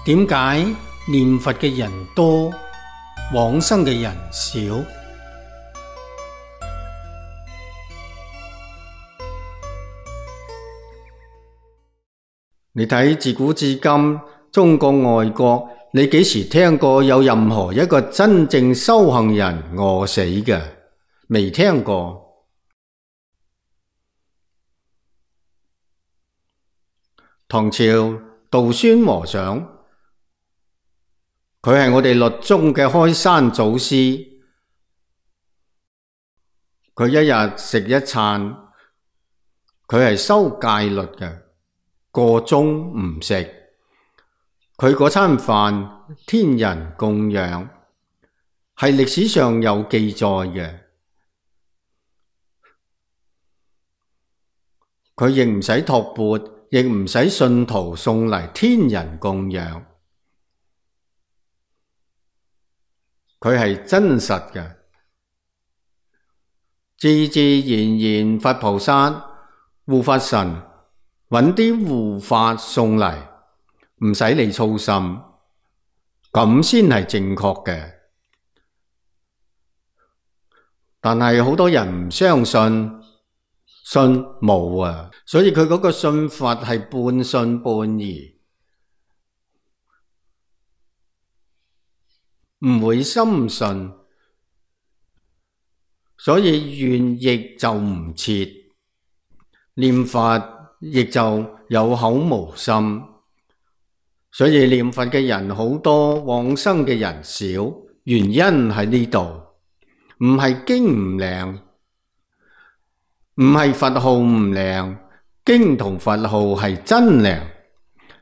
點解念佛嘅人多，往生嘅人少？你睇自古至今，中國外國，你幾時聽過有任何一個真正修行人餓死嘅？未聽過。唐朝道宣和尚，佢係我哋律宗嘅開山祖師。佢一日食一餐，佢係修戒律嘅，過中唔食。佢嗰餐飯天人供養，係歷史上有記載嘅。佢亦唔使托缽，亦唔使信徒送嚟天人供養。佢係真實嘅，自自然然佛菩薩、護法神揾啲護法送嚟，唔使你操心，咁先係正確嘅。但係好多人唔相信，信冇啊，所以佢嗰個信佛係半信半疑，唔會深信，所以願亦就唔切，念佛亦就有口無心，所以念佛嘅人好多，往生嘅人少，原因喺呢度，唔係經唔靈，唔係佛號唔靈，經同佛號係真靈，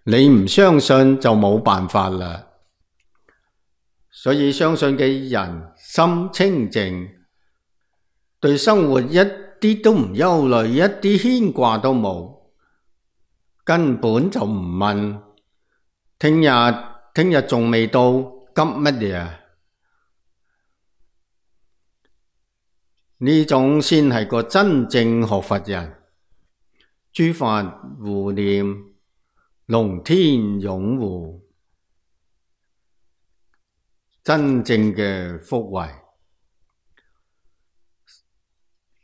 你唔相信就冇辦法啦。所以相信嘅人心清淨，對生活一啲都唔憂慮，一啲牽掛都冇，根本就唔問聽日仲未到，急乜嘢？呢種先係個真正學佛人，諸法護念，龍天擁護，真正嘅福慧。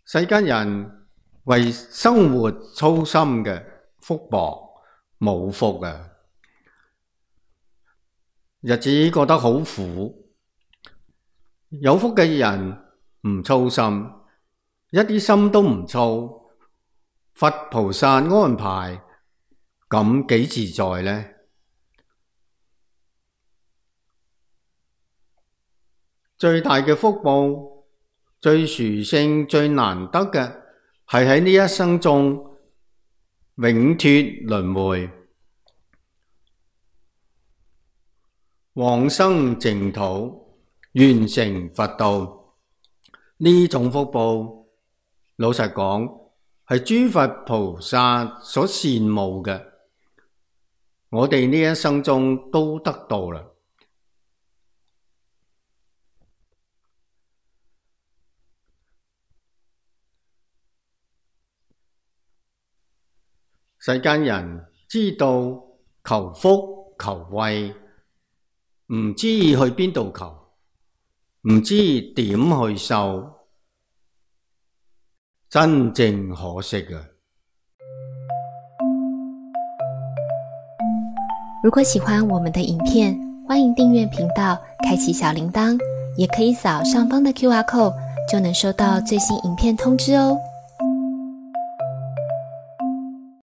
世間人為生活操心嘅福薄，冇福啊！日子過得好苦，有福嘅人唔操心，一啲心都唔操，佛菩薩安排，咁幾自在呢？最大嘅福報，最殊勝、最難得嘅，係喺呢一生中永脫輪迴，往生淨土，完成佛道。呢種福報，老實講，係諸佛菩薩所羨慕嘅，我哋呢一生中都得到啦。世間人知道求福求慧，唔知去邊度求，唔知點去修，真正可惜啊！如果喜歡我們的影片，歡迎訂閱頻道，開啟小鈴鐺，也可以掃上方的QR code，就能收到最新影片通知哦。